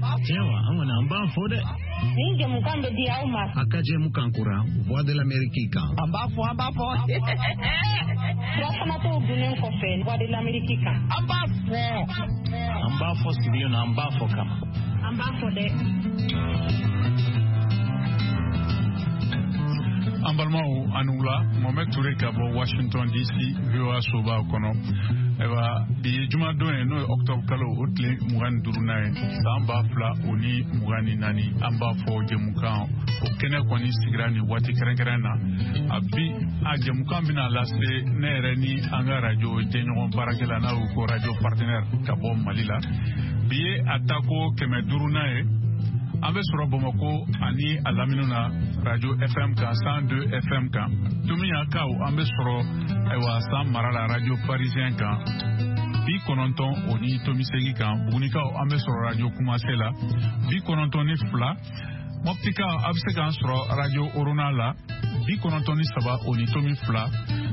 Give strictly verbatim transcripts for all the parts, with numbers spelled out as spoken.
b'a fɔ. Tiɲɛ wa, an kɔni an b'an fo dɛ. Nin jɛmukan bɛ di aw ma. A ka jɛmukan kura Voix de l'Amérique kan. An b'a fɔ, an b'a fɔ. Furafanatɔw dunnen kɔfɛ Voix de l'Amérique kan. An b'a fɔ. An b'a fɔ sigilen na, an b'a fɔ kama. An b'a fɔ dɛ. An balimaw, a ni wula. Mohamed Touré ka bɔ Washington D C, V O A soba kɔnɔ. Ayiwa, bi ye jumadon ye, n'o ye octobre kalo o tile mugan ni duurunan ye, san ba fila o ni mugan ni naani. An b'a fɔ jɛmukan o kɛnɛ kɔni sigira nin waati kɛrɛnkɛrɛn na. A bi a jɛmukan bɛna lase ne yɛrɛ ni an ka radio jɛɲɔgɔn baarakɛla, n'a y'o ko radio partenaire ka bɔ Mali la. Bi ye a tako kɛmɛ duurunan ye. An bɛ sɔrɔ Bamakɔ ani a lamini na radio F M kan, cent deux F M kan. Tominiankaw, an bɛ sɔrɔ ayiwa San mara la radio Parisien kan, bi kɔnɔntɔn o ni tomi seegin kan. Bugunikaw, an bɛ sɔrɔ radio Kumase la, bi kɔnɔntɔn ni fila. Mɔptikaw, a bɛ se k'an sɔrɔ radio Orona la, bi kɔnɔntɔn ni saba o ni tomi fila.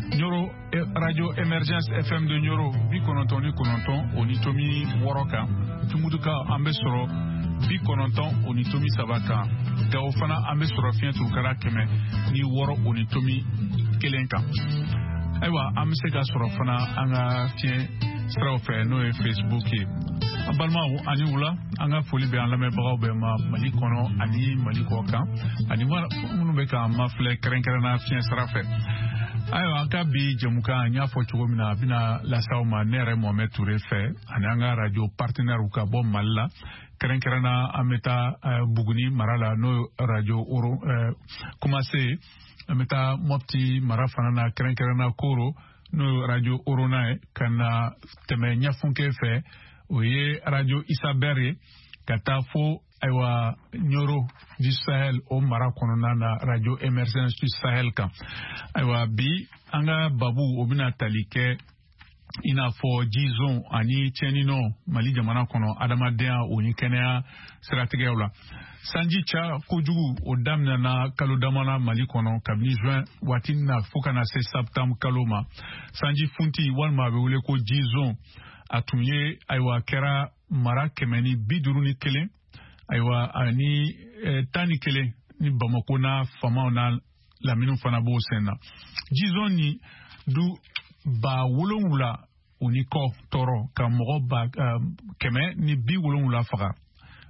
Ɲoro, radio Émergence F M de Ɲoro, bi kɔnɔntɔn ni kɔnɔntɔn o ni tomi wɔɔrɔ kan. Tumutukaw, an bɛ sɔrɔ bi kɔnɔntɔn o ni tomi saba kan. Gawo fana, an bɛ sɔrɔ fiɲɛ turukara kɛmɛ ni wɔɔrɔ o ni tomi kelen kan. Ayiwa, an bɛ se ka sɔrɔ fana an ka fiɲɛ siraw fɛ, n'o ye Facebook ye. An balimaw, ani wula. An ka foli bɛ an lamɛnbagaw bɛɛ ma Mali kɔnɔ ani Mali kɔ kan, ani minnu bɛ k'an mafilɛ kɛrɛnkɛrɛnna fiɲɛ sira fɛ. Ayiwa, an ka bi jɛmukan, n y'a fɔ cogo min na, a bɛna lase aw ma ne yɛrɛ Mohamed Touré fɛ ani an ka radio partenaire ka bɔ Mali la. Kɛrɛnkɛrɛnna, an bɛ taa Buguni mara la, n'o ye radio Oro Kumase. An bɛ taa Mɔpti mara fana na, kɛrɛnkɛrɛnna Koro, n'o ye radio Orona ye, ka na tɛmɛ Ɲafunke fɛ, o ye radio Isabɛr ye, ka taa fo ayiwa Ɲoro du Sahel, o mara kɔnɔna na, radio Émergence du Sahel kan. Ayiwa, bi an ka babu o bɛna tali kɛ i n'a fɔ jizon ani tiɲɛninɔ Mali jamana kɔnɔ, adamadenya o ni kɛnɛya siratigɛw la. Sanji ca kojugu o daminɛna kalo damana Mali kɔnɔ, kabini juin waati na fo ka na se septembre kalo ma. Sanji funti walima a bɛ wele ko jizon, a tun ye ayiwa kɛra mara kɛmɛ ni bi duuru ni kelen, ayiwa ani tan ni kelen ni Bamako n'a famaw n'a laminiw fana b'o sen na. Jizon ni du ba wolonwula o ni kɔ tɔɔrɔ, ka mɔgɔ ba kɛmɛ ni bi wolonwula faga.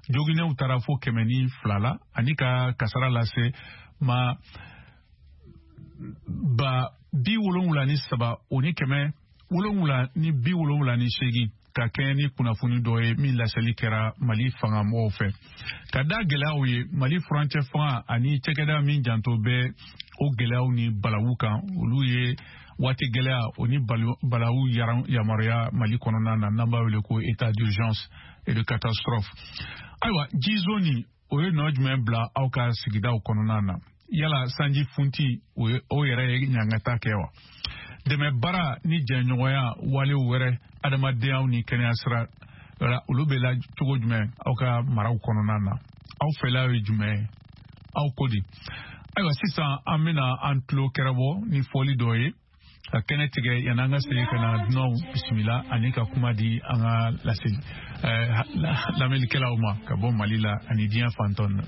Joginɛw taara fo kɛmɛ ni fila la, ani ka kasara lase ma ba bi wolonwula ni saba o ni kɛmɛ wolonwula ni bi wolonwula ni seegin, ka kɛɲɛ ni kunnafoni dɔ ye min laseli kɛra Mali fangamɔgɔw fɛ. Ka da gɛlɛyaw ye, Mali furancɛ fanga ani cɛkɛda min janto bɛ o gɛlɛyaw ni balawu kan, olu ye waati gɛlɛya o ni balawu yamaruya Mali kɔnɔna na, n'an b'a wele ko état d'urgence et de catastrophe. Ayiwa, jizo ni o ye nɔ jumɛn bila aw ka sigidaw kɔnɔna na? Yala sanji funti o yɛrɛ ye ɲangata kɛ wa? Dɛmɛ baara ni jɛɲɔgɔnya walew wɛrɛ adamadenyaw ni kɛnɛya sira la, olu bɛ la cogo jumɛn aw ka maraw kɔnɔna na? Aw fɛla ye jumɛn ye? Aw ko di? Ayiwa, sisan an bɛna an tulo kɛrɛbɔ ni fɔli dɔ ye ka kɛnɛ tigɛ yan'an ka segin ka na dunanw bisimila ani ka kuma di an ka laseli lamɛnnikɛlaw ma ka bɔ Mali la ani diɲɛ fantɔn na.